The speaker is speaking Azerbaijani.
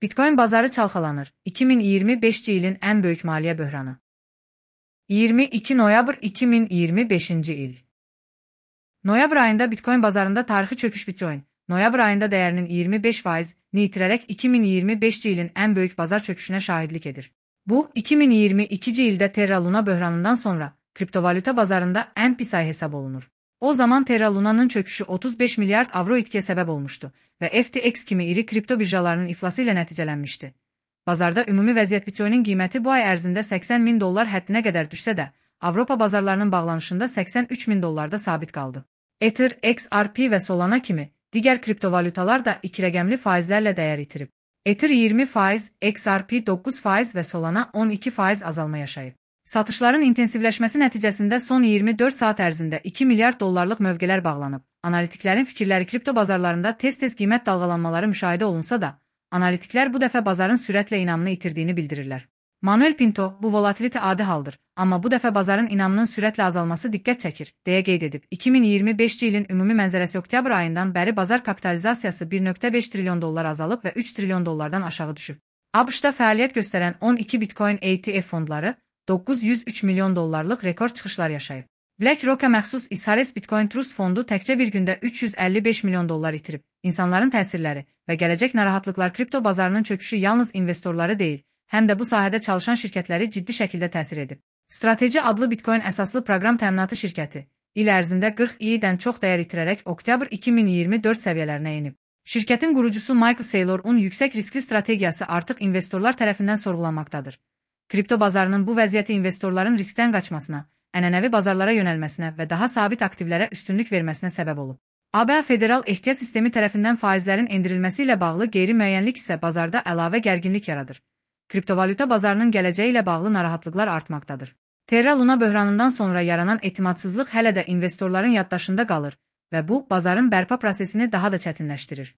Bitcoin bazarı çalxalanır. 2025-ci ilin ən böyük maliyyə böhranı. 22 noyabr 2025-ci il. Noyabr ayında Bitcoin bazarında tarixi çöküş Bitcoin, noyabr ayında dəyərinin 25%-ni itirərək 2025-ci ilin ən böyük bazar çöküşünə şahidlik edir. Bu, 2022-ci ildə Terra Luna böhranından sonra kriptovalyuta bazarında ən pis ay hesab olunur. O zaman Terra Luna'nın çöküşü 35 milyard avro itkiyə səbəb olmuşdu və FTX kimi iri kripto birjalarının iflası ilə nəticələnmişdi. Bazarda ümumi vəziyyət Bitcoin'in qiyməti bu ay ərzində $80.000 həddinə qədər düşsə də, Avropa bazarlarının bağlanışında $83.000 sabit qaldı. Ether, XRP və Solana kimi digər kriptovalyutalar da 2 rəqəmli faizlərlə dəyər itirib. Ether 20%, XRP 9% və Solana 12% azalma yaşayıb. Satışların intensivləşməsi nəticəsində son 24 saat ərzində $2 milyard mövqelər bağlanıb. Analitiklərin fikirləri kripto bazarlarında tez-tez qiymət dalğalanmaları müşahidə olunsa da, analitiklər bu dəfə bazarın sürətlə inamını itirdiyini bildirirlər. Manuel Pinto, bu volatilite adi haldır, amma bu dəfə bazarın inamının sürətlə azalması diqqət çəkir, deyə qeyd edib. 2025-ci ilin ümumi mənzərəsi oktyabr ayından bəri bazar kapitalizasiyası $1.5 trilyon azalıb və $3 trilyon aşağı düşüb. ABŞ-da fəaliyyət göstərən 12 Bitcoin ETF fondları $903 milyon rekord çıxışlar yaşayıb. BlackRock'a məxsus Icares Bitcoin Trust fondu təkcə bir gündə $355 milyon itirib. İnsanların təsirləri və gələcək narahatlıqlar kripto bazarının çöküşü yalnız investorları deyil, həm də bu sahədə çalışan şirkətləri ciddi şəkildə təsir edib. Strateji adlı Bitcoin əsaslı proqram təminatı şirkəti il ərzində 40 i-dən çox dəyər itirərək oktyabr 2024 səviyyələrinə enib. Şirkətin qurucusu Michael Saylor'un yüksək riskli strategiyası artıq investorlar tərəfindən sorğulanmaqdadır. Kripto bazarının bu vəziyyəti investorların riskdən qaçmasına, ənənəvi bazarlara yönəlməsinə və daha sabit aktivlərə üstünlük verməsinə səbəb olub. ABŞ Federal Ehtiyat Sistemi tərəfindən faizlərin endirilməsi ilə bağlı qeyri-müəyyənlik isə bazarda əlavə gərginlik yaradır. Kriptovalyuta bazarının gələcəyi ilə bağlı narahatlıqlar artmaqdadır. Terra Luna böhranından sonra yaranan etimadsızlıq hələ də investorların yaddaşında qalır və bu, bazarın bərpa prosesini daha da çətinləşdirir.